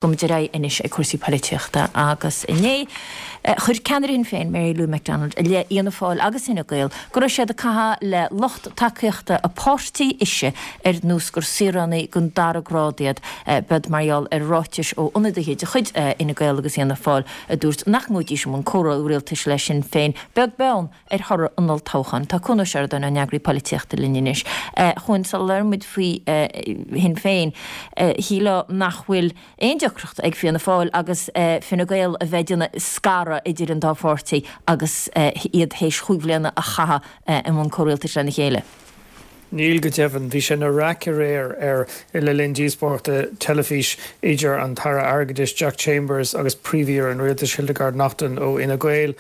Gabhfaimid ar aghaidh anois ag cúrsaí poilitíochta agus inné chuir ceannaire Shinn Féin, Mary Lou McDonald, i leith Fhianna Fáil agus Fhine Gael go raibh siad ag caitheamh le lucht tacaíochta a páirtí ise ar nós gur saoránaigh den dara grád iad. B'iod mar gheall ar ráitis ó ionadaithe de chuid Fhine Gael agus Fhianna Fáil a dúirt nach ngabhfaidís i mbun comhrialtais le Sinn Féin, beag beann ar thoradh an olltoghcháin. Tá Cuan Ó Seireadáin, ár n-eagraí polaitíochta linn anois. A Chuain, sula labhrann muid faoi Shinn Féin, shílfeá nach bhfuil aon deacracht ag Fianna Fáil agus Fine Gael a bheith ag déanamh scaradh idir an dá pháirtí agus iad théis chúig bhliana a chaitheamh i mbun comhrialtais lena chéile. Níl go deimhin. Bhí sé ina raic aréir ar le linn díospóireachta teilifís idir an tAire Airgeadais Jack Chambers agus Príomh-Aoire an Rialtais Hildegarde Naughton ó Fhine Gael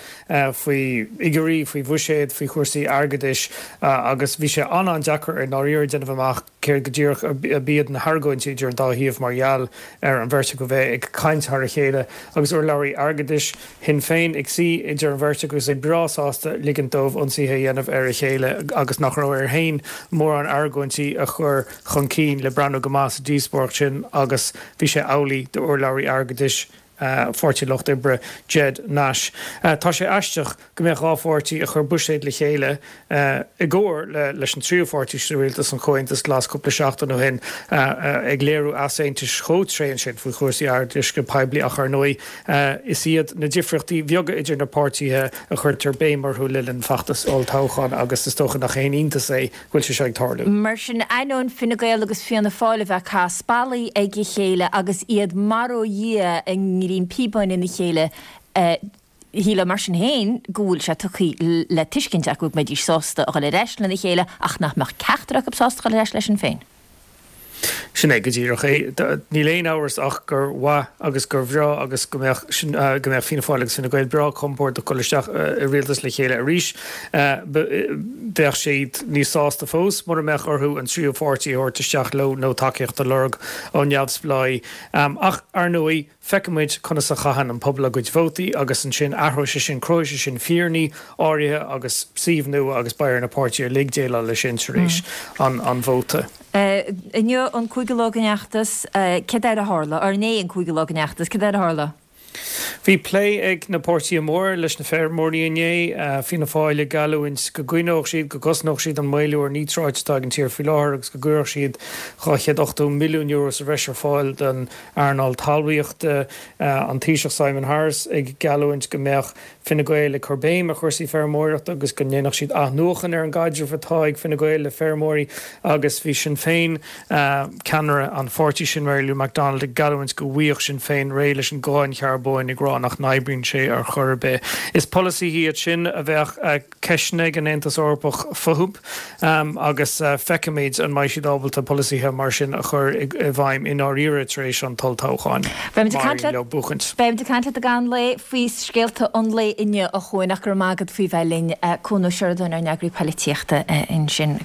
faoi fhigiúirí, faoi bhuiséad, faoi chúrsaí airgeadais agus bhí sé an-an-deacair i ndáiríre déanamh amach céard go díreach a b'iad na hargóintí idir an dá thaobh mar gheall ar an bheirt acu bheith ag caint thar a chéile agus urlabhraí airgeadais Shinn Féin ag suí idir an bheirt agus é breá sásta ligint dóibh ionsaithe a dhéanamh ar a chéile agus nach raibh air féin mórán argóintí a chur chun cinn le breathnú go maith sa díospóireacht sin agus bhí sé amhlaidh d'urlabhraí airgeadais Pháirtí an Lucht Oibre, Ged Nash. Tá sé aisteach go mbeadh 2 pháirtí a chuir buiséad le chéile i gcomhar leis an tríú pháirtí sa rialtas, an Comhaontas Glas, cúpla seachtain ó shin, ag léiriú easaontais chomh tréan sin faoi chúrsaí airgeadais go poiblí ach ar ndóigh is iad na difríochtaí beaga idir na páirtithe a chuirtear béim orthu le linn feachtas olltoghcháin agus is dócha nach aon iontas é go bhfuil sé seo ag tarlú. Mar sin, ainneoin Fine Gael agus Fianna Fáil a bheith ag caitheamh spallaí ag a chéile agus iad mar ó Dhia i ngreim píobáin ina chéile, Shílfeá mar sin féin go bhfuil sé tugtha le tuiscint acu go mbeidís sásta a dhul ar ais lena chéile ach nach mbeadh ceachtar acu sásta a dhul ar ais le Sinn Féin. Sin é go díreach é. Níl aon amhras ach gur mhaith agus gur bhreá agus go mbeadh go mbeadh Fianna Fáil agus Fine Gael breá compordach dul isteach i rialtas le chéile arís. Bheadh siad níos sásta fós mura mbeadh orthu an tríú pháirtí a thabhairt isteach leo nó tacaíocht a lorg ó neamhspleáigh. Ach, ar ndóigh, Feicfidh muid conas a chaitheann an pobal a gcuid vótaí agus ansin athróidh sé sin, cruthóidh sé sin fírinní áirithe agus suímh nua agus beidh ar na páirtithe uilig déileáil leis sin tar éis an vóta. Inniu an cúigiú lá den fheachtas, céard eile a tharla? Or inné an cúigiú lá den fheachtas, céard eile a tharla? Bhí plé ag na páirtithe móra leis na feirmeoirí inné, Fianna Fáil ag geallúint go gcoinneodh siad, go gcosnódh siad an maolú ar níotráit atá ag an tír faoi láthair agus go gcuirfeadh siad €280 milliún sa bhreis ar fáil don earnáil talmhaíochta, an Taoiseach Simon Harris ag geallúint go mbeadh Fine Gael ag cur béim ar chúrsaí feirmeoireachta agus go ndéanfadh siad athnuachan ar an gcaidreamh atá ag Fine Gael le feirmeoirí agus bhí Sinn Féin, ceannaire an pháirtí sin Mary Lou McDonald ag geallúint go bhfaigheadh Sinn Féin réidh leis an gcáin charbóin ag rá nach n-oibríonn sé ar chor ar bith. Is polasaithe iad sin a bheadh. ceisteanna ag an Aontas Eorpach fúthu agus feicfimid an mbeidh siad ábalta polasaithe mar sin a chur i bhfeidhm i ndáiríre tar éis an t-olltoghcháin. Beimid ag caint leo buachaint. Beimid ag caint leat i gcaitheamh an lae faoi scéalta an lae inniu a Chuain ach go raibh maith agat faoi bheith linn. Cuan Ó Seireadáin ár n-eagraí poilitíochta ansin.